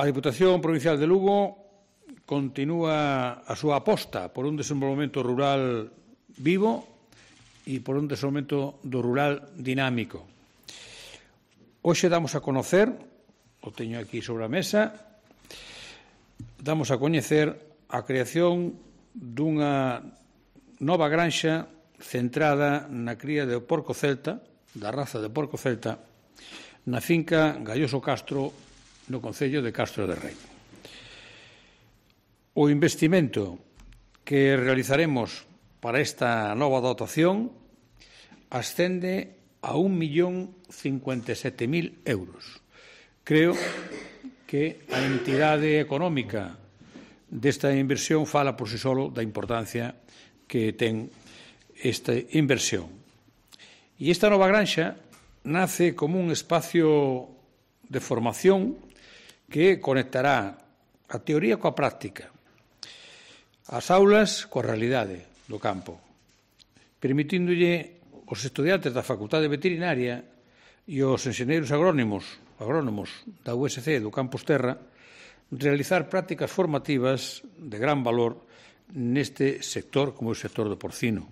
A Diputación Provincial de Lugo continúa a súa aposta por un desenvolvemento rural vivo e por un desenvolvemento do rural dinámico. Hoxe damos a conocer, o teño aquí sobre a mesa, damos a coñecer a creación dunha nova granxa centrada na cría de porco celta, da raza de porco celta, na finca Galloso Castro, no concello de Castro de Rei. O investimento que realizaremos para esta nova dotación ascende a 1.057.000 euros. Creo que a entidade económica desta inversión fala por si solo da importancia que ten esta inversión. E esta nova granxa nace como un espacio de formación que conectará a teoría coa práctica, as aulas coa realidade do campo, permitíndolle aos estudiantes da Facultade Veterinaria e aos enxeneiros agrónomos da USC do Campus Terra realizar prácticas formativas de gran valor neste sector como o sector do porcino.